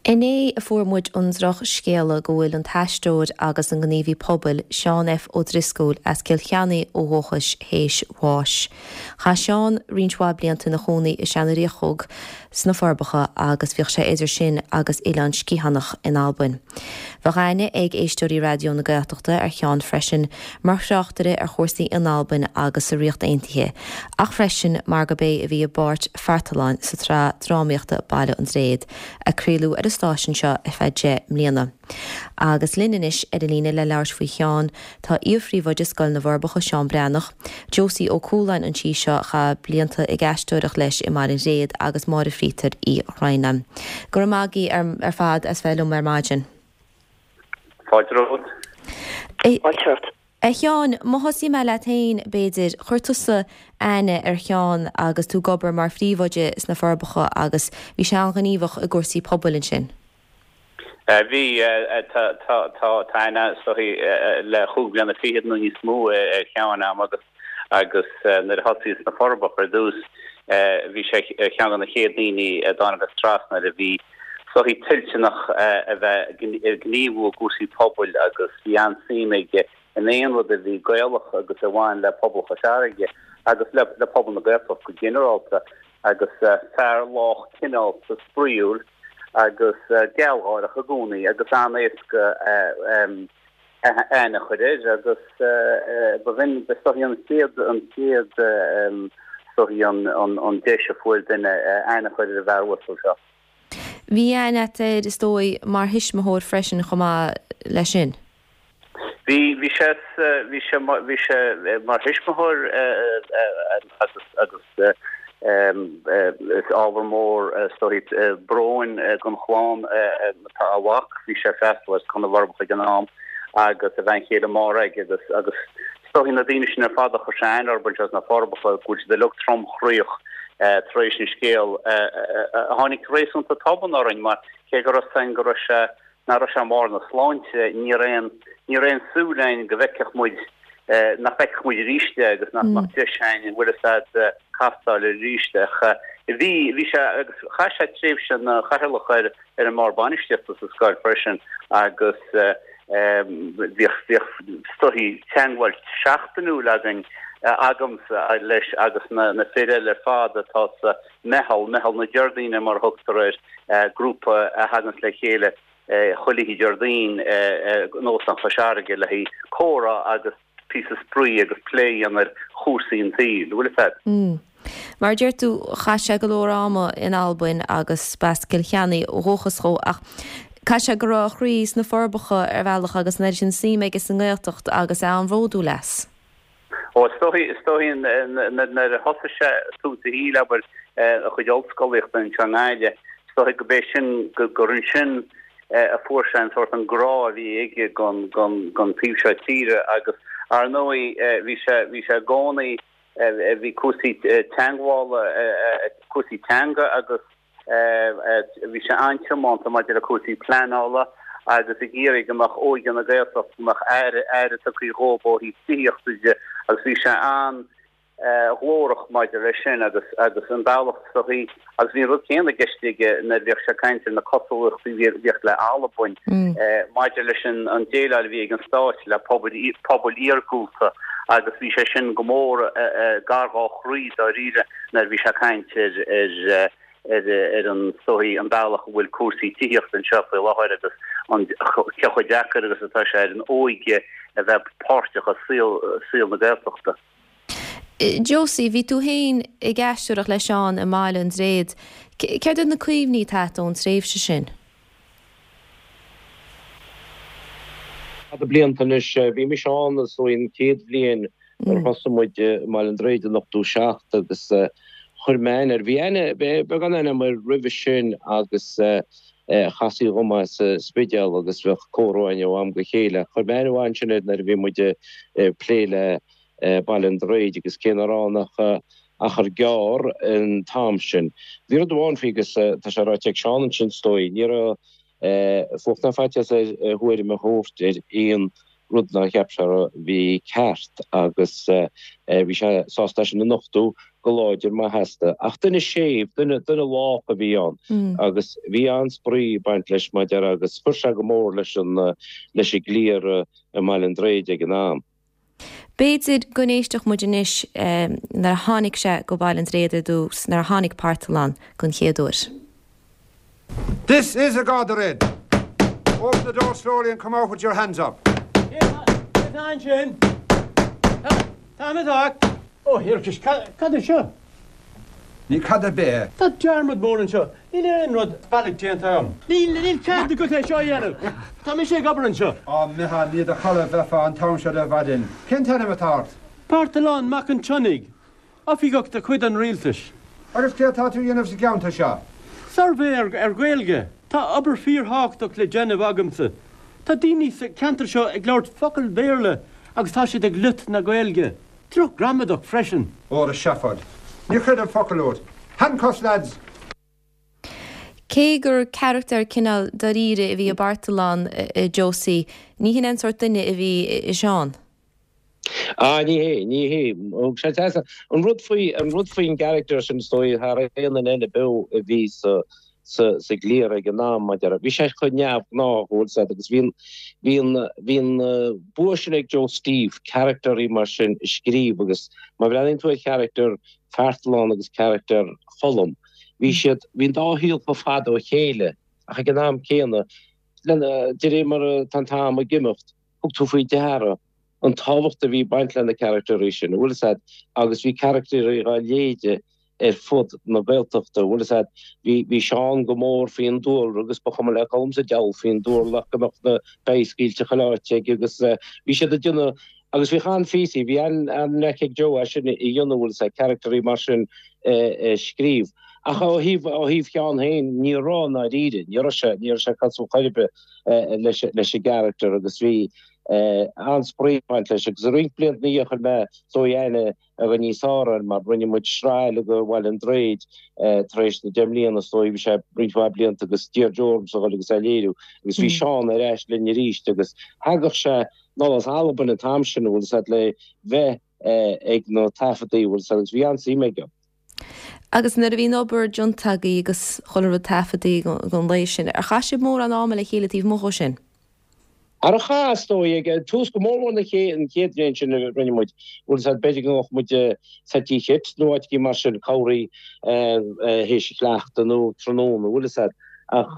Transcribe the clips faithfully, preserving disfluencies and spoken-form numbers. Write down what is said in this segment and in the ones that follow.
Inné a fuair muid an drochscéala go bhfuil an t-aisteoir agus an gníomhaí pobail Seán F. Ó Drisceoil as Cill Chainnigh ó dhúchas théis bháis. Chaith Seán roinnt mhaith blianta ina chónaí i Seanadh Riachóg sna Forbacha agus bhíodh sé idir sin agus Oileán Sgitheanach in Albain. Bheadh aithne ag éisteoirí Raidió na Gaeltachta ar Sheán freisin mar thráchtaire ar chúrsaí in Albain agus sa Ríocht Aontaithe, ach freisin mar gurb é a bhí i bpáirt Phartaláin sa tsraith drámaíochta Baile an Dréad, a craoladh ar an stáisiún seo ar feadh deich mbliana. Agus linn anois ar an líne le labhairt faoi Sheán tá iar-phríomhoide Scoil na bhForbacha Seán Breathnach, Josie Ó Cualáin an tí seo a chaith blianta ag aisteoireacht leis i mBaile an Dréad agus Máire Phíotair Uí Throighne. Go raibh maith agaibh ar, ar fad as bheith liom ar maidin. Fáilte romhat. Fáilte romhat. A Sheáin, má thosaím leat féin b'fhéidir, chuir tusa aithne ar Sheán agus tú ag obair mar phríomhoide sna Forbacha agus bhí sé an-ghníomhach i gcúrsaí pobail ansin. Bhí tá aithne le chúig bliana fichead nó níos mó ar Sheán agam agus agus nuair a thosaíos sna Forbacha ar dtús bhí sé ar cheann de na chéad daoine a dtáinig trasna a bhí is dóichí toilteanach a bheith ag gníomhú i gcúrsaí pobail agus bhí an-suim aige in aon rud a bhí Gaelach agus a bhain le pobal Chois Fharraige agus le le pobal na Gaeltachta go ginearálta agus fear lách cineálta spraíúil agus gealgháireach i gcónaí agus an-éasca aithne a chur air agus ba bhinn is dóichí an chéad an chéad is dóichí an an deis a fuair duine aithne a chur ar an bhfear uasal seo. Bhí aithne agat air is dóigh mar thuismitheoir freisin chomh maith leis sin. Bhí bhí sé bhí sé bhí sé mar thuismitheoir agus agus is ábhar mór is dóichí bróin don chlann tá a mhac bhí sé ag freastal ar Scoil na bhForbacha ag an am agus a bhean chéile Máiréad agus agus is dóichí na daoine sin ar fad a chuir sé aithne orthu anseo sna Forbacha go bhfuil siad uilig tromchroíoch tar éis an scéil a tháinig réasúnta tobann orainn mar cé go raibh go raibh sé nach raibh sé i mbarr na sláinte ní raibh aon ní raibh aon súil againn go bhfeicfeadh muid nach bhfeicfeadh muid arís é agus nach mbeadh deis againn an bhfuil a fhios agat castáil arís ach bhí bhí sé agus chaith sé tréimhse ina chathaoirleach ar ar an mbord bainistíochta sa scoil freisin agus bhíodh bhíodh is dóichí teagmháil seachtainiúil againn agamsa leis agus na na fir eile ar fad atá sa meitheal meitheal na Déardaoine mar a thugtar air grúpa a thaganns le chéile chuile oíche Déardaoin in Óstán Chois Fharraige le haghaidh comhrá agus píosa spraoi agus plé a dhéanamh ar chúrsaí an tsaoil, bhfuil a fhios agat. Mm. Mar a deir tú, chaith sé go leor ama in Albain agus b'as Cill Chainnigh ó dhúchas dhó ach caithfidh sé go raibh a chroí sna Forbacha ar bhealach agus an oiread sin suim aige sa nGaeltacht agus é an-bhródúil as. Ó, is dóichí, is dóichí nuair a thosaigh sé tús a shaoil, abair, a chuid ollscolaíochta anseo i nGaillimh, is dóichí go b'é sin, gur ansin a fuair sé an sórt an grá a bhí aige don, don, don taobh seo tíre agus ar ndóigh bhí sé, bhí sé i gcónaí, bhí cúrsaí teangmhála, cúrsaí teanga agus Bhí sé an-tiomanta maidir le cúrsaí pleanála agus ag iarraidh go mbeadh óige na Gaeltachta, go mbeadh aire, aire tugtha dhóibh ó thaobh tithíochta de agus bhí sé an-ghlórach maidir leis sin agus agus an bealach is dóichí agus bhí an rud céanna i gceist aige nuair a bhíodh sé ag caint ar na cosúlachtaí a bhíodh le Albain maidir leis an an déileáil a bhí ag an stát le pobail pobail iargúlta agus bhí sé sin go mór gar dhá chroí dáiríre nuair a bhí sé ag caint ar ar ar an is dóichí an bealach a bhfuil cúrsaí tithíochta anseo faoi láthair agus an cé chomh deacair agus atá sé ar an óige a bheith páirteach i saol saol na Gaeltachta. Josie, bhí tú féin ag aisteoireacht le Seán i mBaile an Dréad. Céard iad na cuimhní atá agat ón tréimhse sin? Fada blianta anois. Bhí mise ann is dóigh an chéad bhliain nuair a thosaigh muid i mBaile an Dréid in ochtó seacht agus chuir mé aithne air. Bhí aithne, beagán aithne agam air roimhe sin agus chastaí dhom é sa Spidéal agus bheadh comhrá againn ó am go chéile. Chuir mé aithne mhaith ansin air nuair a bhí muid ag plé le Baile an Dréid agus cé nach raibh ann ach achar gearr an t-am sin. Bhí rud amháin faoi agus tá sé ráite ag Seán ansin is dóigh, ní raibh fuacht ná faitíos air a thuairim a thabhairt ar aon rud nár cheap sé a bhí ceart agus bhí sé sásta é sin a nochtadh go láidir maith sheasta. Ach duine séimh, duine duine lách a bhí ann agus bhí an-spraoi ag baint leis mar a déarfá agus chuir sé go mór leis an leis an gcliar i mBaile an Droichid ag an am. B'fhéidir go n-éistfeadh muid anois nuair a tháinig sé go Baile an Droichid ar dtús, nuair a tháinig Parthalán den chéad uair. This is a Garda raid. Open the door slowly and come out with your hands up. Cé atá ansin? Tá mé ag. Ó, thiarcais, cad é seo? Ní cad ar bith é. Tá dearmad mór anseo. Níl aon rud bealaigh déanta agam. Níl níl cead agat é seo a dhéanamh. Tá mise ag obair anseo. Á, Micheál, ní i do chodladh a bheifeá an t-am seo de mhaidin. Cén t-ainm atá ort? Parthalán Mac an tSionnaigh, oifigeach de chuid an rialtais. Agus céard atá tú a dhéanamh sa gceantar seo? Suirbhé ar ar Ghaeilge. Tá obair fíorthábhachtach le déanamh agamsa. Tá daoine sa cheantar seo ag labhairt focail Bhéarla agus tá siad ag loit na Gaeilge. Droch-ghramadach freisin. Óra seafóid. Ní chreidim focal uait. Handcuffs, lads! Cé gur carachtar cineál dáiríre a bhí i bPartalán, a Josie, ní hin an sórt duine a bhí i Seán. Ah, ní hé, ní hé. Thug sé deas. An rud faoi, an rud faoin gcarachtar sin is dóigh thar aon duine eile beo a bhí sa, sa, sa gcliar ag an am, mar a déarfá. Bhí sé chomh neamhghnách, bhfuil 's a'd, agus bhí an, bhí an, bhí an bua sin ag Joe Steve carachtarí mar sin a scríobh agus má bhreathnaíonn tú ar charachtar Phartalán agus carachtar Choilm, bhí siad, bhí an dá shaol chomh fada ó chéile ach ag an am céanna, lena, de réir mar atá an t-am ag imeacht, thug tú faoi deara an tábhacht a bhí ag baint le na carachtairí sin, bhfuil 'fhios a'd, agus bhí carachtairí dhá leithéide ar fud na Gaeltachta, bhfuil 'fhios a'd, bhí, bhí Seán go mór faoin dúlra agus ba chuma le Colm sa diabhal faoin dúlra ach go mbeadh na beithígh scaoilte chuile áit aige agus bhí siad ag déanamh, agus bhí an-phíosaí, bhí an-knack ag Joe é sin a dhéanamh, bhfuil 'fhios a'd, carachtairí mar sin a scríobh. Ach ó thaobh, ó thaobh Sheáin féin, ní raibh i ndáiríre, ní raibh sé, ní raibh sé cosúil chor ar bith leis, leis an gcarachtar agus bhí an-spraoi ag baint leis agus roinnt blianta ina dhiaidh chuir mé is dóigh aithne a bheith níos fearr air mar rinne muid sraith eile de Bhaile an Droichid tar éis na deich mbliana is dóigh, bhí sé roinnt mhaith blianta agus d'iarr Joe ormsa a dhul agus é a léiriú agus bhí Seán ar ais linn arís agus thagadh sé anall as Albain an t-am sin, bhfuil 'fhios a'd, le bheith ag na taifeadtaí, bhfuil 'fhios a'd, agus bhí an-suim aige. Agus nuair a bhí an obair déanta agaibh agus chuile rud taifeadta don lae sin, ar chaith sibh mórán ama le chéile taobh amuigh dhó sin? Ar chaith, is dóigh, ag tús go mór mór na chéad, an chéad bhliain sin a rinne muid, bhfuil 'fhios a'd, b'fhéidir go ngabhadh muid sa Tigh Chit nó áit éigin mar sin, corruair théis an chleachta nó tráthnóna, bhfuil 'fhios a'd. Ach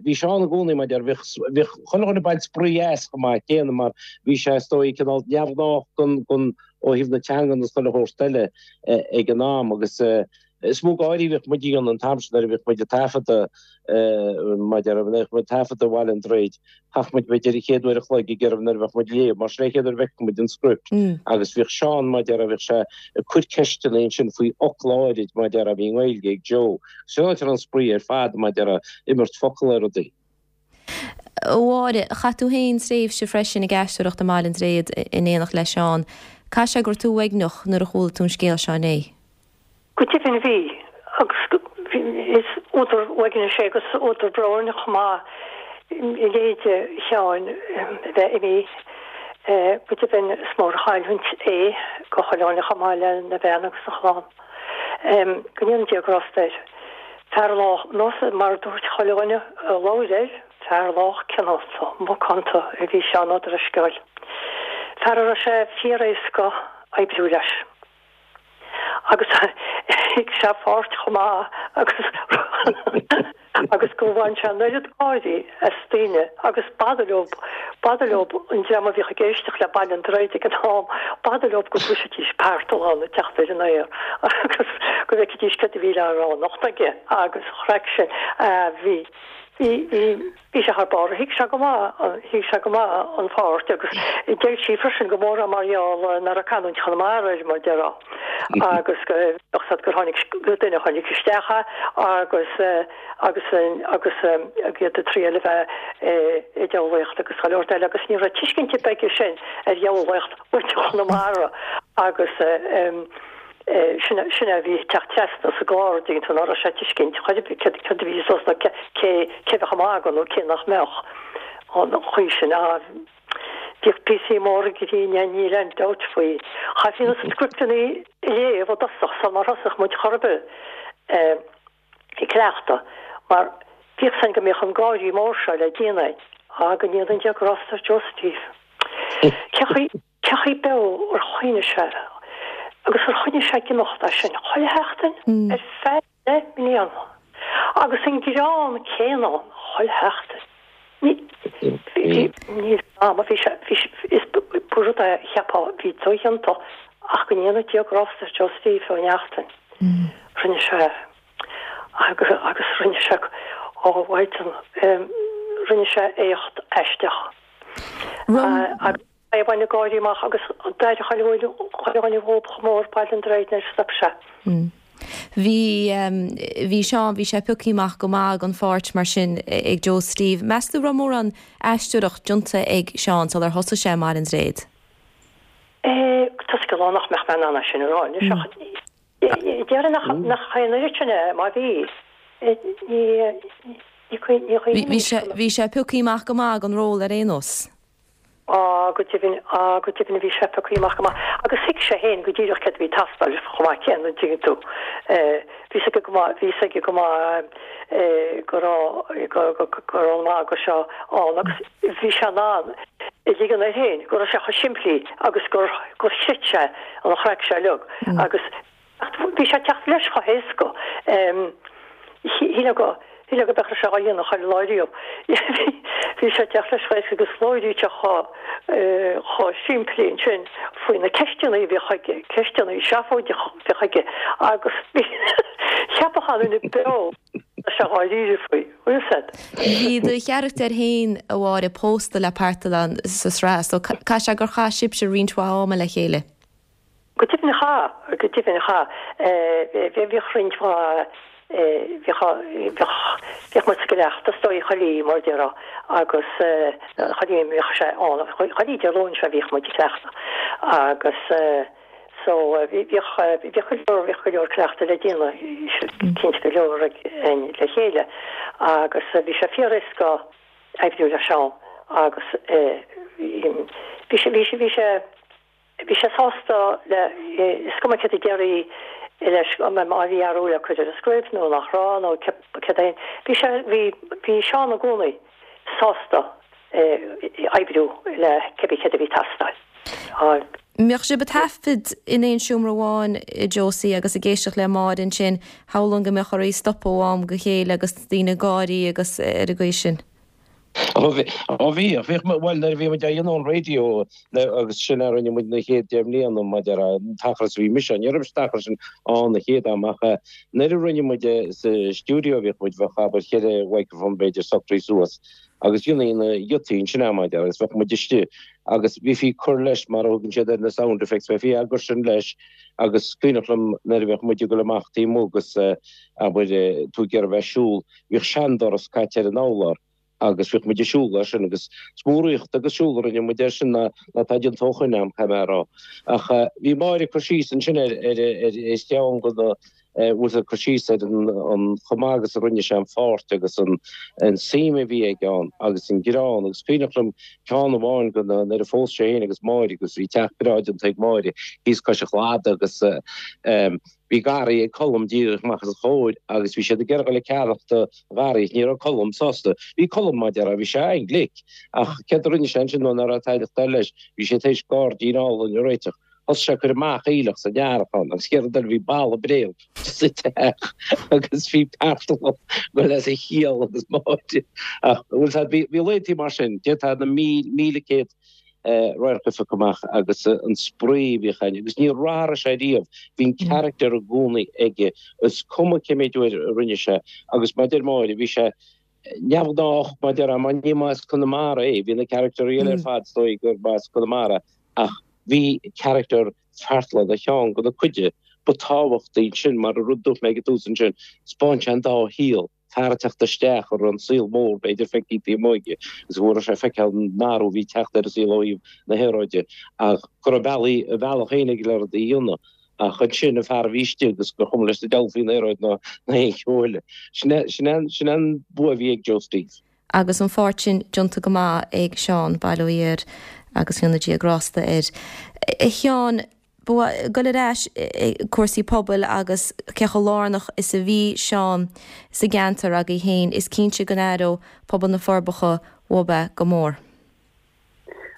bhí Seán i gcónaí, mar a déarfá, bhíodh, bhíodh chuile dhuine ag baint spraoi as chomh maith céanna mar bhí sé, is dóigh, cineál neamhghnách don, don, ó thaobh na teangan agus chuile shórt eile ag an am agus is mó gáirí a bhíodh muid a dhéanamh an t-am sin nuair a bhíodh muid ag taifeadadh, mar a déarfá, nuair a bhíodh muid ag taifeadadh Bhaile an Droichid, thagadh muid b'fhéidir an chéad uair a chloig ag iarraidh nuair a bheadh muid ag léamh mar sin é an chéad uair a bhfeicfeadh muid an script agus bhíodh Seán, mar a déarfá, bhíodh sé ag cur ceisteanna ansin faoi fhocla áirid, mar a déarfá, a bhí i nGaeilge ag Joe. Sin áit a raibh an spraoi ar fad, mar a déarfá, imirt focal ar rudaí. A Mháire, chaith tú féin tréimhse freisin ag aisteoireacht i mBaile an Droichid in éineacht le Seán. Caithfidh sé go raibh tú uaigneach nuair a chuala tú an scéal seo inné. Go deimhin bhí, agus is údar uaignis é agus údar bróin chomh maith leithéide Sheáin a bheith imithe. Go deimhin is mór an chailliúint é go chuile dhuine chomh maith lena bhean agus a chlann. Go ndéana Dia grásta air. Fear lách, nós mar a dúirt chuile dhuine a labhair air, fear lách cineálta, macánta a bhí Seán Ó Drisceoil. Fear a raibh sé fíor-éasca oibriú leis. Agus thuig sé a pháirt chomh maith agus agus go bhain sé an oiread gáirí as daoine agus b'fhada leo, b'fhada leo an dream a bhíodh ag éisteacht le Baile an Droichid ag an am, b'fhada leo go gcloisfidís Parthalán ag teacht ar an aer agus go bhfeicfidís céard a bhí le rá anocht aige agus an chraic sin a bhí, bhí, bhí, bhí sé thar barr, thuig sé go maith, thuig sé go maith an pháirt agus d'fheil sí freisin go mór é mar gheall nach raibh canúint Chonamara air mar déarfá agus go bheadh siad gur tháinig gur duine a tháinig isteach é agus agus agus iad ag triail a bheith ag diabhlaíocht agus go leor eile agus ní raibh tuiscint ar bith aige sin ar dhiabhlaíocht mhuintir Chonamara agus sin sin a bhí ag teacht trasna sa gclár an dtuigeann tú ná raibh sé ag tuiscint chor ar bith céard céard a bhí suas nó cé cé bheadh ag magadh nó cé nach mbeadh an chaoi sin. Bhíodh píosaí móra grinn ann, níl aon dabht faoi. Chaithfí na scripteanna a léamh i dtosach sular thosaigh muid chor ar bith ag cleachtadh, mar bhíodh a fhios againn go mbeadh an gáirí mór seo le déanamh againn. Á, go ndéana Dia grásta ar Joe Steve. Cé chaoi, cé chaoi beo ar choinnigh sé, agus ar choinnigh sé ag imeacht as sin chuile sheachtain ar feadh deich mbliana, agus an greann céanna ann chuile sheachtain. Ní, bhí, níl am, bhí sé, bhí sé, is ba rud é a cheapfá a bhí dodhéanta ach go ndéana Dia grásta ar Joe Steve Ó Neachtain. Rinne sé, agus, agus rinne sé, ó mhaighdean, rinne sé éacht aisteach. Agus é a bhain gáirí amach agus d'éirigh chuile dhuine dhóibh chomh mór Baile an Droichid nuair a stop sé. Bhí, bhí Seán, bhí sé pioctha amach go maith don pháirt mar sin ag Joe Steve. Meas tú raibh mórán aisteoireacht déanta ag Seán sular thosaigh sé i mBaile an Droichid? Tá scileanna nach mbeadh mé in ann é sin a rá anois ach déarfainn nach nach é an oiread sin é má bhí. Ní ní ní Bhí sé bhí sé pioctha amach go maith don ról ar aon nós. Á, go deimhin, á, go deimhin bhí sé pioctha amach go maith. Agus thuig sé féin go díreach céard a bhí ag teastáil chomh maith céanna, an dtuigeann tú. Bhí 'fhios aige go maith, bhí 'fhios aige go maith go raibh, go, go, go raibh an magadh seo ann agus bhí sé in ann a ligean air féin go raibh sé chomh simplí agus gur, gur chreid sé an chraic seo uilig agus bhí sé ag teacht leis chomh héasca. Shílfeá go, shílfeá go mbeadh sé á dhéanamh chuile lá riamh. Bhí sé ag teacht leis chomh héasca agus labhraíodh sé chomh, chomh simplí ansin faoi na ceisteanna a bhíodh aige, ceisteanna seafóideacha a bhíodh aige agus bhí, cheapfadh an duine beo go raibh sé dháiríre faoi, bhfuil 'fhios a'd. Bhí do charachtar féin, a Mháire, pósta le Parthalán sa sraith so caithfidh sé gur chaith sibhse roinnt mhaith ama le chéile. Go deimhin chaith, go deimhin chaith. Bhíodh roinnt mhaith, bhíodh, bhíodh, bhíodh muid sa gcleachtadh is dóigh chuile oíche mar a déarfá agus chuile oíche a mbíodh sé ann, chuile oíche Dé Luain sea bhíodh muid ag cleachtadh agus so bhíodh, bhíodh go leor, bhíodh go leor cleachtadh le déanamh cinnte go leor againn le chéile agus bhí sé fíor-éasca oibriú le Seán agus bhí sé, bhí sé, bhí sé, Bhí sé sásta le, is cuma céard a déarfaí leis, má bhí athrú le cur ar an script nó nach raibh nó céard é, bhí sé, bhí, bhí Seán i gcónaí sásta oibriú le cibé céard a bhí ag teastáil. Bhíodh sibh ag taifead in aon seomra amháin, a Josie, agus ag éisteacht le Máire ansin, shamhlóinn go mbeadh oraibh stopadh ó am go chéile agus daoine ag gáirí agus ar an gcaoi sin. Ó bhí, bhíodh, bhuel nuair a bhí muid á dhéanamh ón raidió agus sin a rinne muid na chéad deich mbliana maidir an t-achar is a bhí mise, ní raibh mise an t-achar sin ann na chéad am ach nuair a rinne muid sa stiúideo bhíodh muid, bheadh abair cheithre mhicreafón b'fhéidir socraithe suas agus dhéanfaí na giotaí ansin am maidir agus bheadh muid istigh agus bhífí ag cur leis mar a thugann siad ar na sound effects, bheifí á gcur sin leis agus is cuimhneach liom nuair a bheadh muid ag dul amach taobh amuigh agus abair tú ag iarraidh bheith ag siúl, bhíodh seandoras caite ar an urlár. agus bhíodh muid ag siúl air sin agus is mó rith agus siúl a rinne muid air sin ná ná tá déanta ó shoin a'm, caithfidh mé a rá. Ach bhí Máire ag cur síos ansin ar ar ar ar cheann de na bhfuil ag cur síos ar an an chomh maith agus a rinne sé an pháirt agus an an suim a bhí aige ann agus an greann agus cuimhneach liom ceann amháin de na nuair a phós sé féin agus Máire agus bhí teach breá déanta ag Máire thíos cois an chladaigh agus Bhí garraí ag Colm díreach amach os a chomhair agus bhí siad ag iarraidh dul ag ceannacht an gharraí. Ní raibh Colm sásta. Bhí Colm, mar a déarfá, bhí sé an-ghlic. Ach céard a rinne sé ansin nuair nach raibh tada ag dul leis? Bhí sé tar éis gairdín álainn a réiteach. Thosaigh sé ag cur amach aoileach san earrach ann agus chéad rud eile bhí balla bréan sa teach agus bhí Parthalán ag dul as a chiall agus Máire. Ach bhfuil a fhios a'd, bhí laethantaí mar sin, d'fhéadfá na míle céad radharc a phiocadh amach agus an spraoi a bhíodh ann agus níor athraigh sé riamh, bhí an character i gcónaí aige, is cuma cé méid uair a rinne sé agus mar a deir Máire, bhí sé neamhghnách mar a déarfá mar ní mba as Conamara é, bhí na characters eile ar fad is dóigh gur ba as Conamara ach bhí character Pharthaláin ar cheann de na cuide ba tábhachtaí ansin mar an rud dúirt mé ag an tús ansin, 'spáin sé an dá shaol. fear ag teacht isteach ar an saol mór, b'fhéidir, feicthe taobh amuigh aige, agus go raibh sé ag feiceáil an athrú a bhí ag teacht ar an saol ó thaobh na haeráide, ach go raibh bealaí, a bhealach féin aige le rudaí a dhéanamh. Ach ansin, an fear a bhí istigh agus gur chuma leis an diabhal faoin aeráid ná aon cheo eile. Sin é, sin é, sin é an bua a bhí ag Joe Steve. Agus an pháirt sin déanta go maith ag Seán, bail ó Dhia air agus go ndéana Dia grásta air. A Sheáin, ba ghoil ar ais cúrsaí pobail agus cé chomh lárnach is a bhí Seán sa gceantar agaibh féin, is cinnte go n-aireodh pobal na Forbacha uaidh é go mór.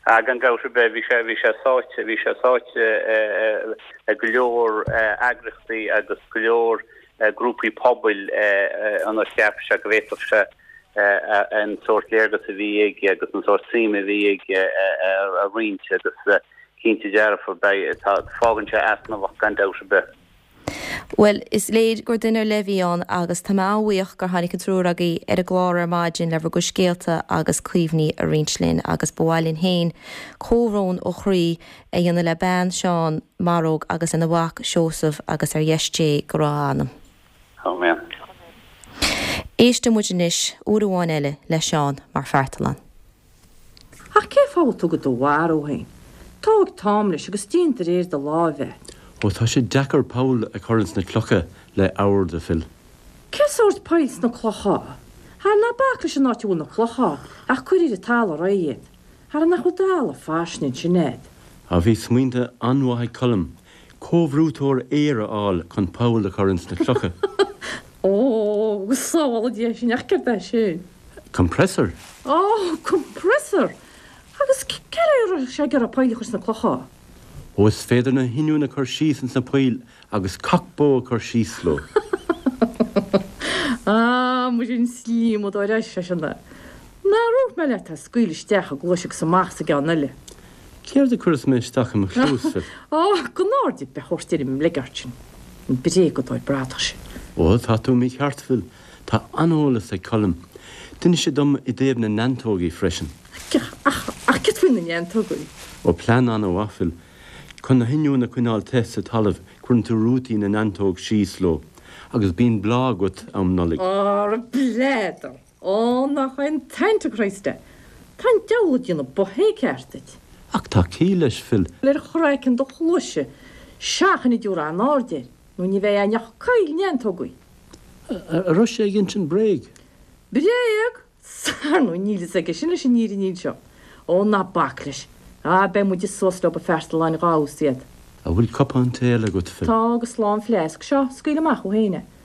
Ah, gan dabht ar bith, bhí sé, bhí sé sáite, bhí sé sáite i go leor eagraíochtaí agus go leor grúpaí pobail ionar cheap sé go bhféadfadh sé an sórt léargas a bhí aige agus an sórt suim a bhí aige a roinnt agus cinnte dearfa beidh, tá, fágann sé easnamh gan dabht ar bith. Bhuel, is léir gur duine ar leith a bhí ann agus tá mé an-bhuíoch gur tháinig an triúr agaibh ar an gclár ar maidin le bhur gcuid scéalta agus cuimhní a roinnt linn agus ba mhaith linn féin comhbhrón ó chroí a dhéanamh le bean Seán, Maróg agus lena mhac Seosamh agus ar dheis Dé go raibh a anam. Amen. Éisteann muid anois uair amháin eile le Seán mar Phartalán. Ach cén fáth a bhfuil tú do do mharú féin? Tóg Tom leis agus déan de réir do láimhe. Ó tá sé deacair poll a chur ins na clocha le ord, a Phil. Cén sórt poill sna clocha? Ara ná bac leis an áit a bhfuil na clocha ach cuir ar an talamh réidh iad. Ara nach bhfuil talamh fairsing ansin agat. Á bhí smaointe an-mhaith ag Colm, comhbhrúiteoir aeir a fháil chun poll a chur ins na clocha. Ó, go sábhála Dia sinn, ach céard é sin? Compressor. Ó, compressor! Agus cé a raibh sé ag iarraidh poill a chur sna clocha? Ó is féidir na hoinniúin a chur síos ins na poill agus cac bó a chur síos leo. Á, muise an slíomadóir é seisean. Nár dhúirt mé leat é a scaoileadh isteach i gcluais agus amach sa gceann eile. Céard a chuireas mé isteach i mo chluas, Phil? Á, gan aird ar bith a thabhairt ar an mbligeart sin, an bréagadóir bradach sin. Ó, tá tú mícheart, Phil. Tá an-eolas ag Colm. D'inis sé dom i dtaobh na neantógaí freisin. Ach, ach céard faoi na neantógaí? Ó, plean an-mhaith, Phil. Chun na hoinniúin a choinneáil te sa talamh, cuireann tú rútaí na neantóg síos leo, agus bíonn bláth agat um Nollaig. Ara b'fhéidir! Ó, nach é an t-antichrist é! Tá an diabhal ag déanamh bothé ceart duit. Ach tá ciall leis, Phil. Ar chraiceann do chluaise, seachain a dtabharfá aon aird air, nó ní bheidh againn ach coill neantógaí. An raibh sé ag insint bréag? Bréag? Ar ndóigh níl fhios aige sin leis an fhírinne anseo. Ó, ná bac leis. Á, beidh muide suas leo a Phartaláin dhá fheabhas iad. An bhfuil cupán tae eile agat, Phil? Tá, agus lán fleasc. Seo, scaoil amach thú féin é.